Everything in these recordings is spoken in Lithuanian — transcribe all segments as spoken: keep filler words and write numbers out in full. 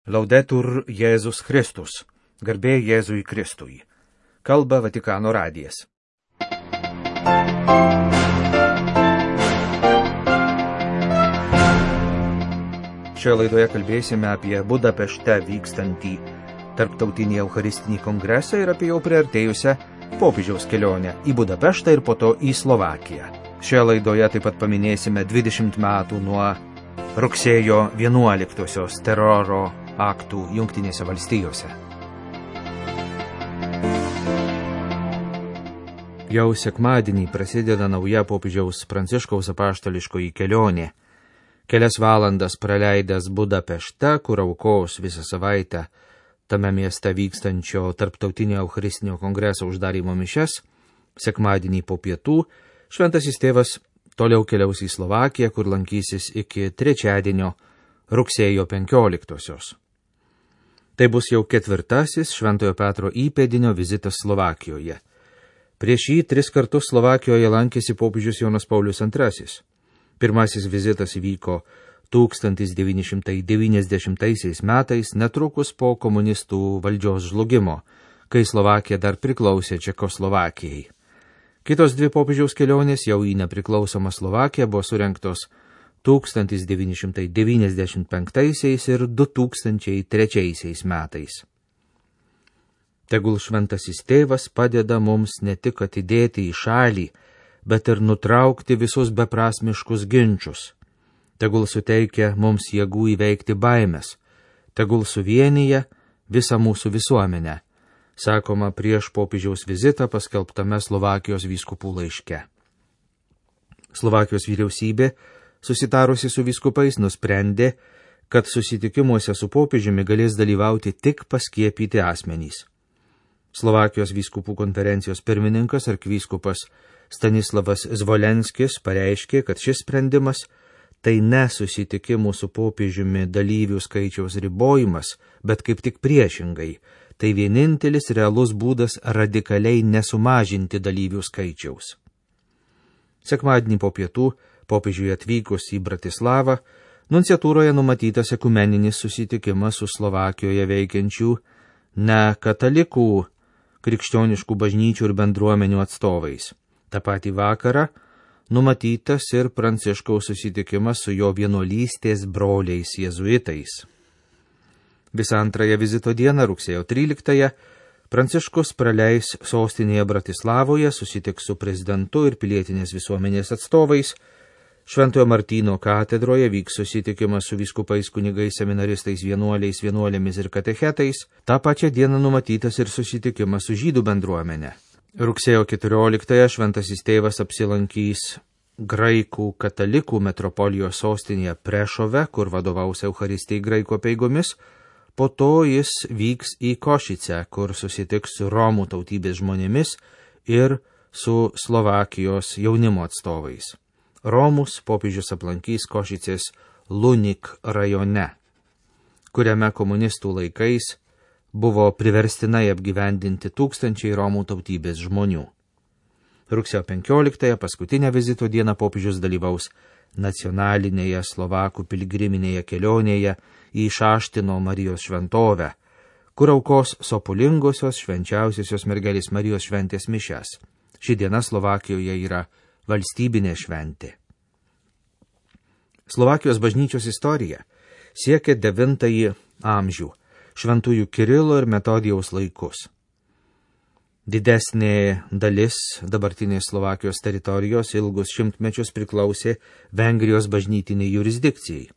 Laudetur Jėzus Kristus, garbė Jėzui Kristui. Kalba Vatikano radijas. Šioje laidoje kalbėsime apie Budapešte vykstantį tarptautinį Eucharistinį kongresą ir apie jau priartėjusią popiežiaus kelionę į Budapeštą ir po to į Slovakiją. Šioje laidoje taip pat paminėsime dvidešimt metų nuo rugsėjo vienuoliktosios teroro aktų Jungtinėse valstijose. Jau sekmadienį prasideda nauja popiežiaus Pranciškaus apaštališkoji kelionė. Kelias valandas praleidęs Budapešte, kur aukos visą savaitę tame mieste vykstančio tarptautinio Eucharistinio kongreso uždarymo mišias, sekmadienį po pietų šventasis tėvas toliau keliaus į Slovakiją, kur lankysis iki trečiadienio rugsėjo penkioliktosios. Tai bus jau ketvirtasis Šventojo Petro įpėdinio vizitas Slovakijoje. Prieš jį tris kartus Slovakijoje lankėsi popiežius Jonas Paulius antrasis. Pirmasis vizitas įvyko tūkstantis devyni šimtai devyniasdešimtaisiais metais, netrukus po komunistų valdžios žlugimo, kai Slovakija dar priklausė Čekoslovakijai. Kitos dvi popiežiaus kelionės jau į nepriklausomą Slovakiją buvo surengtos tūkstantis devyni šimtai devyniasdešimt penktaisiais ir du tūkstančiai trečiaisiais metais. Tegul šventasis tėvas padeda mums ne tik atidėti į šalį, bet ir nutraukti visus beprasmiškus ginčius. Tegul suteikia mums jėgų įveikti baimes, tegul suvienyje visą mūsų visuomenę, sakoma prieš popiežiaus vizitą paskelbtame Slovakijos vyskupų laiške. Slovakijos vyriausybė, susitarusi su vyskupais, nusprendė, kad susitikimuose su popiežiumi galės dalyvauti tik paskiepyti asmenys. Slovakijos vyskupų konferencijos pirmininkas arkivyskupas Stanislavas Zvolenskis pareiškė, kad šis sprendimas tai ne susitikimų su popiežiumi dalyvių skaičiaus ribojimas, bet kaip tik priešingai, tai vienintelis realus būdas radikaliai nesumažinti dalyvių skaičiaus. Sekmadienį po pietų popiežiui atvykus į Bratislavą, nunciatūroje numatytas ekumeninis susitikimas su Slovakijoje veikiančių ne katalikų, krikščioniškų bažnyčių ir bendruomenių atstovais. Ta patį vakarą numatytas ir Pranciškaus susitikimas su jo vienuolystės broliais jėzuitais. Visą antrąją vizito dieną, rugsėjo tryliktąją, Pranciškus praleis sostinėje Bratislavoje, susitiks su prezidentu ir pilietinės visuomenės atstovais. Šventojo Martyno katedroje vyks susitikimas su vyskupais, kunigais, seminaristais, vienuoliais, vienuolėmis ir katechetais. Ta pačia diena numatytas ir susitikimas su žydų bendruomenė. Rugsėjo keturioliktąją šventasis tėvas apsilankys graikų katalikų metropolijos sostinėje Prešove, kur vadovaus Eucharistijai graikų apeigomis. Po to jis vyks į Košicę, kur susitiks su Romų tautybės žmonėmis ir su Slovakijos jaunimo atstovais. Romus popiežius aplankys Košicės Lunik rajone, kuriame komunistų laikais buvo priverstinai apgyvendinti tūkstančiai Romų tautybės žmonių. Rugsėjo penkioliktąją, paskutinę vizito dieną, popiežius dalyvaus nacionalinėje Slovakų piligriminėje kelionėje į Šaštino Marijos šventovę, kur aukos sopulingosios švenčiausiosios mergelės Marijos šventės mišias. Ši diena Slovakijoje yra valstybinė šventė. Slovakijos bažnyčios istorija siekia devintąjį amžių, šventųjų Kirilo ir Metodijaus laikus. Didesnė dalis dabartinės Slovakijos teritorijos ilgus šimtmečius priklausė Vengrijos bažnytiniai jurisdikcijai.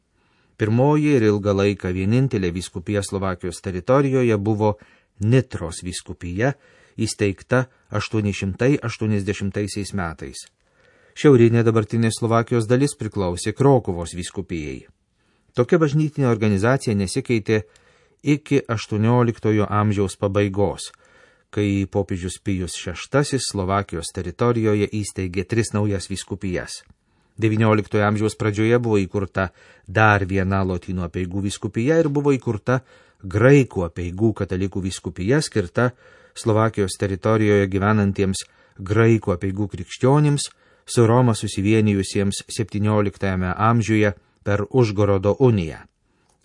Pirmoji ir ilgą laiką vienintelė vyskupija Slovakijos teritorijoje buvo Nitros vyskupija, įsteigta aštuoni šimtai aštuoniasdešimtaisiais metais. Šiaurinė dabartinės Slovakijos dalis priklausė Krokuvos vyskupijai. Tokia bažnytinė organizacija nesikeitė iki aštuonioliktojo amžiaus pabaigos, kai popiežius Pijus šeštasis Slovakijos teritorijoje įsteigė tris naujas vyskupijas. devynioliktojo amžiaus pradžioje buvo įkurta dar viena lotynų apeigų vyskupija ir buvo įkurta graikų apeigų katalikų vyskupija, skirta Slovakijos teritorijoje gyvenantiems graikų apeigų krikščionims, su Roma susivienijusiems septynioliktajame amžiuje per Užgorodo uniją.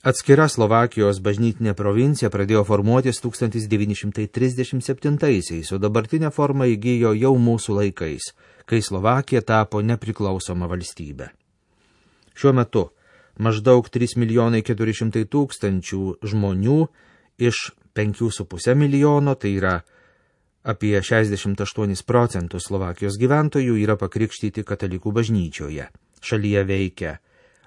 Atskira Slovakijos bažnytinė provincija pradėjo formuotis tūkstantis devyni šimtai trisdešimt septintaisiais, o dabartinę formą įgijo jau mūsų laikais, kai Slovakija tapo nepriklausoma valstybė. Šiuo metu maždaug trys milijonai keturi šimtai tūkstančių žmonių iš penkių su puse milijono, tai yra apie šešiasdešimt aštuonis procentus Slovakijos gyventojų, yra pakrikštyti katalikų bažnyčioje. Šalyje veikia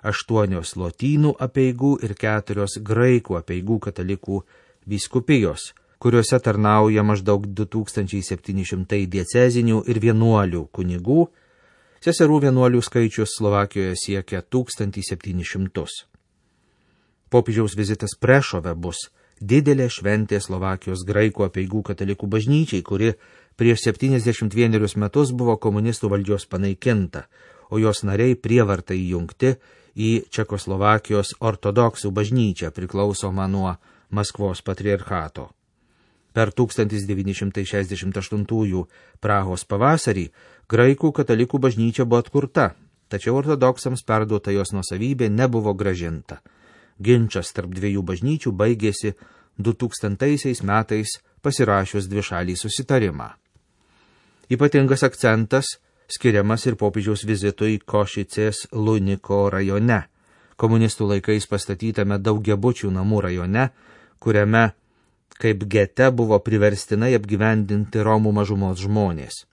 aštuonios lotynų apeigų ir keturios graikų apeigų katalikų vyskupijos, kuriuose tarnauja maždaug du tūkstančiai septyni šimtai diecezinių ir vienuolių kunigų. Seserų vienuolių skaičius Slovakijoje siekia tūkstantį septynis šimtus. Popiežiaus vizitas Prešove bus didelė šventė Slovakijos graikų apeigų katalikų bažnyčiai, kuri prieš septyniasdešimt vienerius metus buvo komunistų valdžios panaikinta, o jos nariai prievartai įjungti į Čekoslovakijos ortodoksų bažnyčią priklausomą nuo Maskvos patriarchato. Per tūkstantis devyni šimtai šešiasdešimt aštuntųjų Prahos pavasarį graikų katalikų bažnyčia buvo atkurta, tačiau ortodoksams perduota jos nuosavybė nebuvo grąžinta. Ginčas tarp dviejų bažnyčių baigėsi du tūkstantaisiais metais pasirašius dvišalį susitarimą. Ypatingas akcentas skiriamas ir popiežiaus vizitui Košicės Luniko rajone, komunistų laikais pastatytame daugiabučių namų rajone, kuriame kaip gete buvo priverstinai apgyvendinti Romų mažumos žmonės.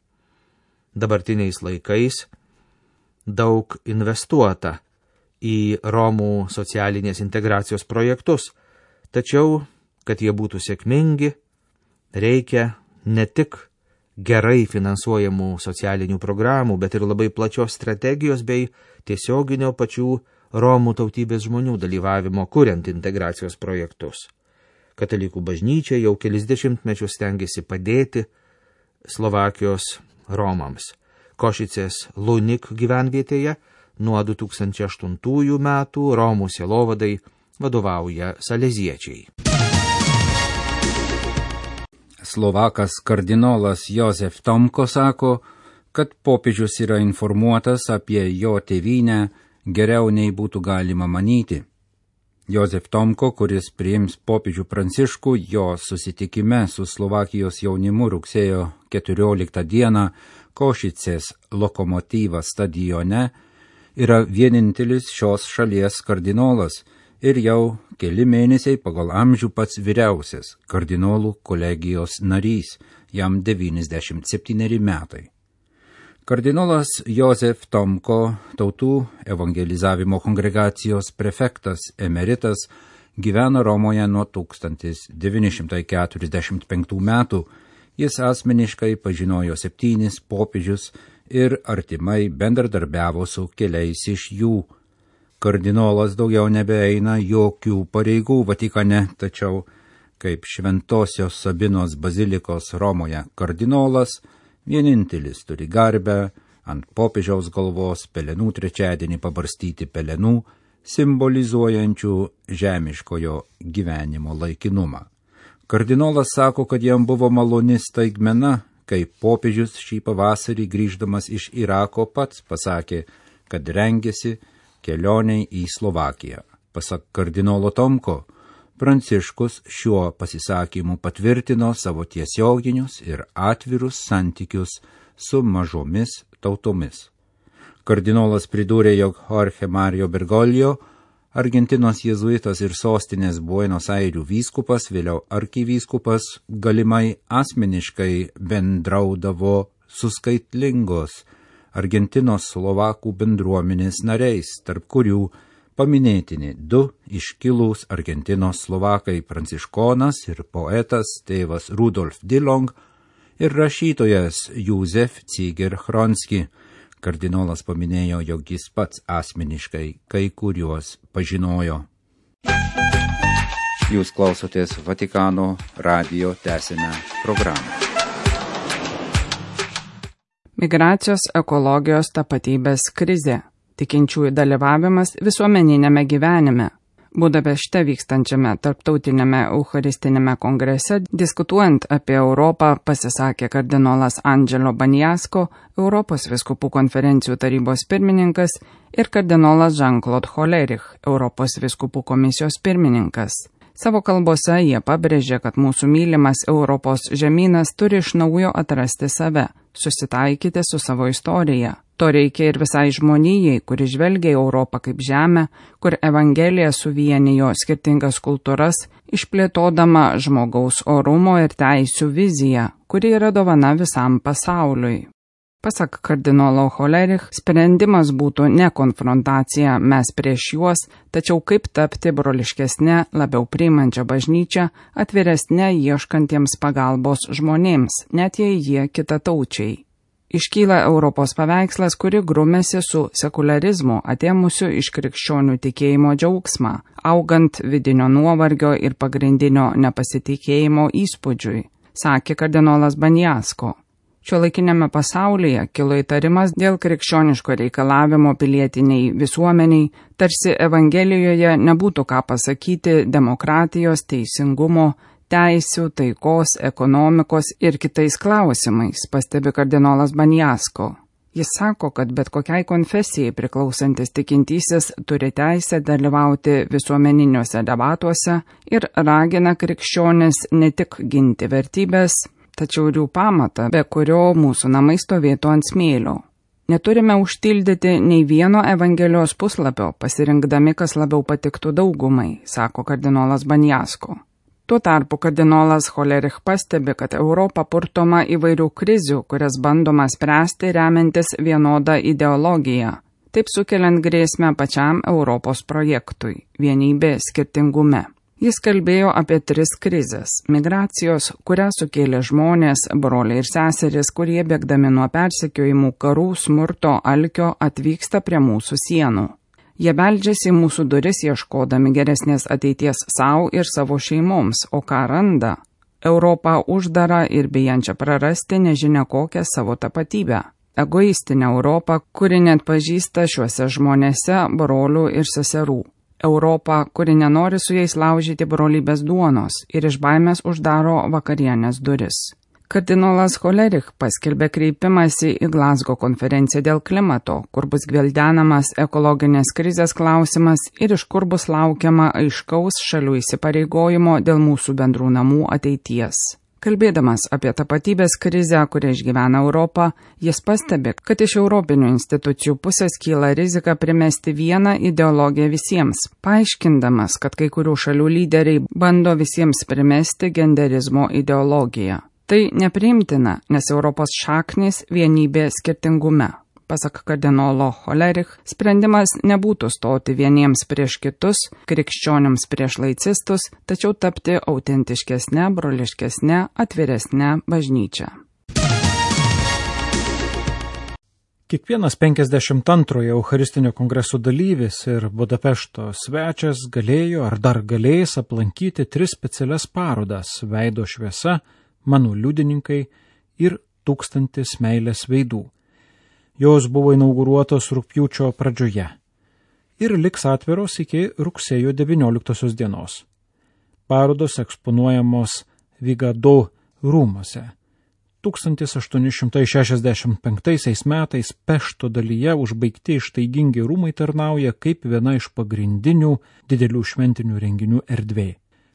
Dabartiniais laikais daug investuota į Romų socialinės integracijos projektus, tačiau, kad jie būtų sėkmingi, reikia ne tik gerai finansuojamų socialinių programų, bet ir labai plačios strategijos bei tiesioginio pačių Romų tautybės žmonių dalyvavimo kuriant integracijos projektus. Katalikų bažnyčia jau kelis dešimtmečius stengiasi padėti Slovakijos Romams. Košicės Lunik gyvenvietėje nuo du tūkstančiai aštuntųjų metų Romų sielovadai vadovauja saleziečiai. Slovakas kardinolas Jozef Tomko sako, kad popiežius yra informuotas apie jo tėvynę geriau nei būtų galima manyti. Jozef Tomko, kuris priims popiežių Pranciškų jo susitikime su Slovakijos jaunimu rugsėjo keturioliktą dieną Košicės Lokomotyvas stadione, yra vienintelis šios šalies kardinolas ir jau keli mėnesiai pagal amžių pats vyriausias kardinolų kolegijos narys, jam devyniasdešimt septyneri metai. Kardinolas Jozef Tomko, tautų evangelizavimo kongregacijos prefektas emeritas, gyvena Romoje nuo tūkstantis devyni šimtai keturiasdešimt penktų metų. Jis asmeniškai pažinojo septynis popiežius ir artimai bendradarbiavo su keliais iš jų. Kardinolas daugiau nebeeina jokių pareigų Vatikane, tačiau kaip Šventosios Sabinos bazilikos Romoje kardinolas, vienintelis turi garbę ant popiežiaus galvos pelenų trečiadienį pabarstyti pelenų, simbolizuojančių žemiškojo gyvenimo laikinumą. Kardinolas sako, kad jam buvo maloni staigmena, kai popiežius šį pavasarį grįždamas iš Irako pats pasakė, kad rengėsi kelioniai į Slovakiją. Pasak kardinolo Tomko, Pranciškus šiuo pasisakymu patvirtino savo tiesioginius ir atvirus santykius su mažomis tautomis. Kardinolas pridūrė, jog Jorge Mario Bergoglio, Argentinos jėzuitas ir sostinės Buenos Airių vyskupas, vėliau arkivyskupas, galimai asmeniškai bendraudavo su skaitlingos Argentinos slovakų bendruomenės nariais, tarp kurių paminėtini du iškilūs Argentinos slovakai pranciškonas ir poetas tėvas Rudolf Dillong ir rašytojas Józef Cziger-Chronski. Kardinolas paminėjo, jog jis pats asmeniškai kai kuriuos pažinojo. Jūs klausotės Vatikano radijo tęsinę programą. Migracijos, ekologijos, tapatybės krizė. Tikinčiųjų dalyvavimas visuomeninėme gyvenime. Budapešte vykstančiame tarptautinėme eucharistinėme kongrese, diskutuojant apie Europą, pasisakė kardinolas Angelo Baniasko, Europos vyskupų konferencijų tarybos pirmininkas, ir kardinolas Jean-Claude Hollerich, Europos vyskupų komisijos pirmininkas. Savo kalbose jie pabrėžė, kad mūsų mylimas Europos žemynas turi iš naujo atrasti save, susitaikyti su savo istorija. To reikia ir visai žmonijai, kuri žvelgia į Europą kaip žemę, kur Evangelija suvienijo skirtingas kultūras, išplėtodama žmogaus orumo ir teisių viziją, kuri yra dovana visam pasauliui. Pasak kardinolo Hollerich, sprendimas būtų ne konfrontacija mes prieš juos, tačiau kaip tapti broliškesnė, labiau priimančią bažnyčią, atviresnė ieškantiems pagalbos žmonėms, net jei jie kitataučiai. Iškyla Europos paveikslas, kuri grumėsi su sekularizmu, atėmusiu iš krikščionių tikėjimo džiaugsmą, augant vidinio nuovargio ir pagrindinio nepasitikėjimo įspūdžiui, sakė kardinolas Baniasko. Šiuolaikinėme pasaulyje kilo įtarimas dėl krikščioniško reikalavimo pilietiniai visuomeniai, tarsi Evangelijoje nebūtų ką pasakyti demokratijos, teisingumo, teisių, taikos, ekonomikos ir kitais klausimais, pastebi kardinolas Baniasko. Jis sako, kad bet kokiai konfesijai priklausantis tikintysis turi teisę dalyvauti visuomeniniuose debatuose ir ragina krikščionis ne tik ginti vertybės, tačiau ir jų pamatą, be kurio mūsų namai stovėtų ant smėlio. Neturime užtildyti nei vieno Evangelijos puslapio, pasirinkdami, kas labiau patiktų daugumai, sako kardinolas Baniasko. Tuo tarpu kardinolas Hollerich pastebi, kad Europa purtoma įvairių krizių, kurias bandoma spręsti remiantis vienodą ideologiją, taip sukeliant grėsmę pačiam Europos projektui – vienybė skirtingume. Jis kalbėjo apie tris krizes – migracijos, kurią sukėlė žmonės, broliai ir seserys, kurie bėgdami nuo persekiojimų karų, smurto, alkio atvyksta prie mūsų sienų. Jie beldžiasi į mūsų duris ieškodami geresnės ateities savo ir savo šeimoms, o ką randa? Europą uždarą ir bijančią prarasti nežinia kokią savo tapatybę. Egoistinę Europą, kuri net pažįsta šiuose žmonėse brolių ir seserų. Europą, kuri nenori su jais laužyti brolybės duonos ir iš baimės uždaro vakarienės duris. Kardinolas Hollerich paskelbė kreipimąsi į Glazgo konferenciją dėl klimato, kur bus gvildenamas ekologinės krizės klausimas ir iš kur bus laukiama aiškaus šalių įsipareigojimo dėl mūsų bendrų namų ateities. Kalbėdamas apie tapatybės krizę, kurią išgyvena Europą, jis pastebi, kad iš europinių institucijų pusės kyla rizika primesti vieną ideologiją visiems, paaiškindamas, kad kai kurių šalių lyderiai bando visiems primesti genderizmo ideologiją. Tai nepriimtina, nes Europos šaknis vienybė skirtingume. Pasak kardinolo Hollerich, sprendimas nebūtų stoti vieniems prieš kitus, krikščionims prieš laicistus, tačiau tapti autentiškesnė, broliškesnė, atviresnė bažnyčia. Kiekvienas penkiasdešimt antrojo Eucharistinio kongreso dalyvis ir Budapešto svečias galėjo ar dar galės aplankyti tris specialias parodas – Veido šviesa, Mano liudininkai ir Tūkstantis meilės veidų. Jos buvo inauguruotos rugpjūčio pradžioje ir liks atviros iki rugsėjo devynioliktosios dienos. Parodos eksponuojamos Vigado rūmuose. tūkstantis aštuoni šimtai šešiasdešimt penktaisiais metais Pešto dalyje užbaigti ištaigingi rūmai tarnauja kaip viena iš pagrindinių didelių šventinių renginių erdvė.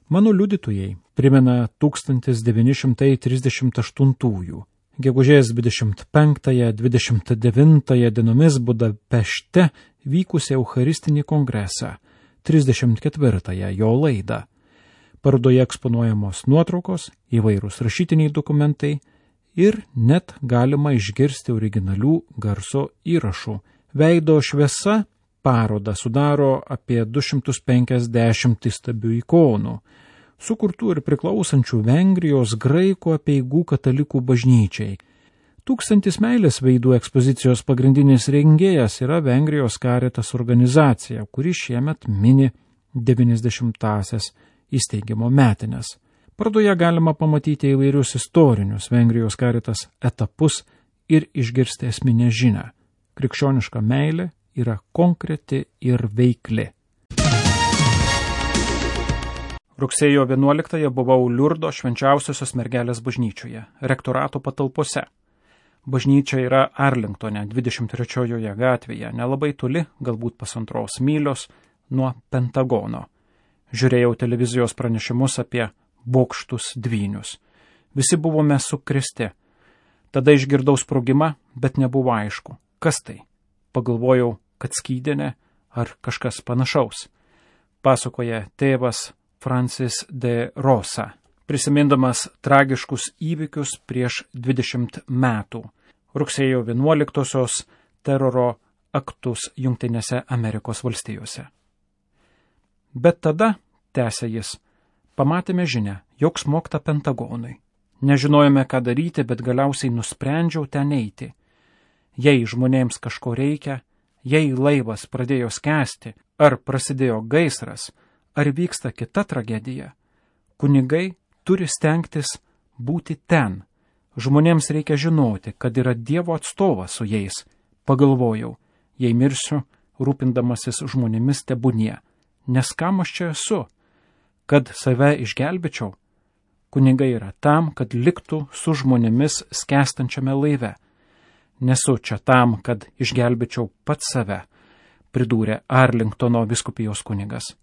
Mano liudytojai primena tūkstantis devyni šimtai trisdešimt aštuntųjų. Gegužės dvidešimt penktąją - dvidešimt devintąją dienomis Budapešte vykusią Eucharistinį kongresą, trisdešimt ketvirtąją jo laidą. Parodoje eksponuojamos nuotraukos, įvairūs rašytiniai dokumentai ir net galima išgirsti originalių garso įrašų. Veido šviesa parodą sudaro apie du šimtus penkiasdešimt įstabių ikonų, sukurtų ir priklausančių Vengrijos graikų apeigų katalikų bažnyčiai. Tūkstantis meilės veidų ekspozicijos pagrindinis rengėjas yra Vengrijos Caritas organizacija, kuri šiemet mini devyniasdešimtąsias įsteigimo metines. Parodoje galima pamatyti įvairius istorinius Vengrijos Caritas etapus ir išgirsti esminę žinią. Krikščioniška meilė yra konkreti ir veikli. Rugsėjo vienuoliktąją buvau Liurdo švenčiausiosios mergelės bažnyčioje, rektorato patalpose. Bažnyčia yra Arlingtone, dvidešimt trečiojoje gatvėje, nelabai toli, galbūt pusantros mylios, nuo Pentagono. Žiūrėjau televizijos pranešimus apie bokštus dvynius. Visi buvome sukrėsti. Tada išgirdau sprogimą, bet nebuvo aišku, kas tai. Pagalvojau, kad skydinė ar kažkas panašaus. Pasakoja tėvas Francis de Rosa, prisimindamas tragiškus įvykius prieš dvidešimt metų, rugsėjo vienuoliktosios teroro aktus Jungtinėse Amerikos valstijose. Bet tada, tęsė jis, pamatėme žinią, jog smogta Pentagonui. Nežinojome, ką daryti, bet galiausiai nusprendžiau ten eiti. Jei žmonėms kažko reikia, jei laivas pradėjo skęsti, ar prasidėjo gaisras, ar vyksta kita tragedija, kunigai turi stengtis būti ten. Žmonėms reikia žinoti, kad yra Dievo atstovas su jais. Pagalvojau, jei mirsiu, rūpindamasis žmonėmis tebūnie, nes kam aš čia esu, kad save išgelbėčiau. Kunigai yra tam, kad liktų su žmonėmis skęstančiame laive. Nesu čia tam, kad išgelbėčiau pats save, pridūrė Arlingtono vyskupijos kunigas.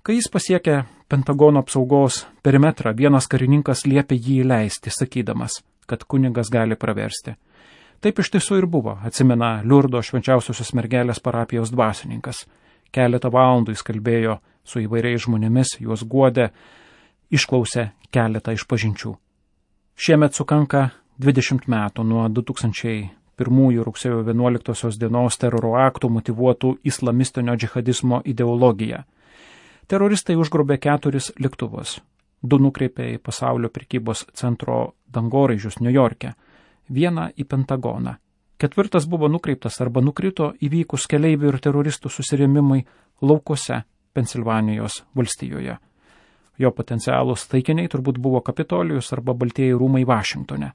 Kai jis pasiekė Pentagono apsaugos perimetrą, vienas karininkas liepė jį įleisti, sakydamas, kad kunigas gali praversti. Taip iš tiesų ir buvo, atsimena Liurdo švenčiausiosios mergelės parapijos dvasininkas. Keletą valandų jis kalbėjo su įvairiais žmonėmis, juos guodė, išklausė keletą išpažinčių. Šiemet sukanka dvidešimt metų nuo du tūkstančiai pirmųjų rugsėjo vienuoliktosios dienos teroro aktų motyvuotų islamistinio džihadizmo ideologiją. Teroristai užgrobė keturis lėktuvus. Du nukreipė į pasaulio prekybos centro dangoraižius Niujorke, vieną į Pentagoną. Ketvirtas buvo nukreiptas arba nukrito įvykus keleivių ir teroristų susirėmimui laukuose Pensilvanijos valstijoje. Jo potencialūs taikiniai turbūt buvo Kapitolijus arba Baltieji rūmai Vašingtone.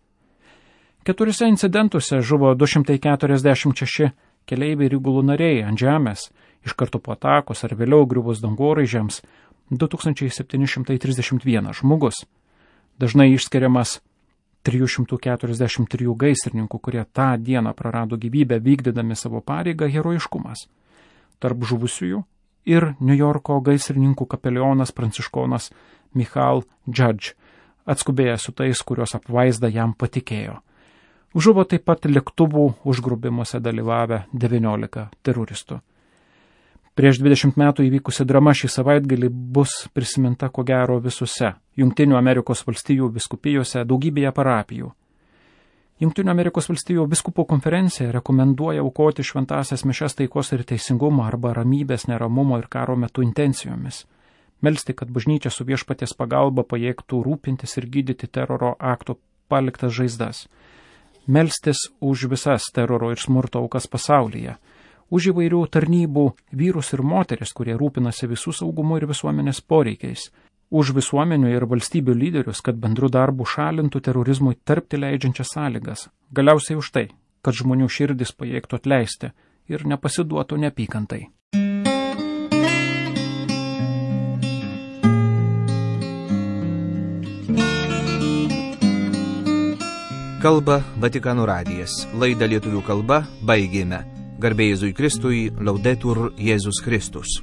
Keturiuose incidentuose žuvo du šimtai keturiasdešimt šeši keleiviai ir įgulų nariai ant žemės, iš karto po atakos ar vėliau griuvus dangoraižiams du tūkstančiai septyni šimtai trisdešimt vienas žmogus. Dažnai išskiriamas trijų šimtų keturiasdešimt trijų gaisrininkų, kurie tą dieną prarado gyvybę vykdydami savo pareigą, herojiškumas. Tarp žuvusiųjų ir Niujorko gaisrininkų kapelionas pranciškonas Michal Judge, atskubėjęs su tais, kurios apvaizda jam patikėjo. Žuvo taip pat lėktuvų užgrobimuose dalyvavę devyniolika teroristų. Prieš dvidešimt metų įvykusi drama šį savaitgalį bus prisiminta ko gero visose Jungtinių Amerikos valstijų vyskupijose, daugybėje parapijų. Jungtinių Amerikos valstijų vyskupų konferencija rekomenduoja aukoti šventąsias mišias taikos ir teisingumo arba ramybės, neramumo ir karo metu intencijomis. Melsti, kad bažnyčia su viešpaties pagalba pajėgtų rūpintis ir gydyti teroro akto paliktas žaizdas. Melstis už visas teroro ir smurto aukas pasaulyje, už įvairių tarnybų vyrus ir moteris, kurie rūpinasi visų saugumo ir visuomenės poreikiais, už visuomenių ir valstybių lyderius, kad bendru darbu šalintų terorizmui tarpti leidžiančias sąlygas, galiausiai už tai, kad žmonių širdis pajėgtų atleisti ir nepasiduotų neapykantai. Kalba Vatikano radijas. Laidą lietuvių kalba baigėme. Garbė Jėzui Kristui, Laudetur Jėzus Kristus.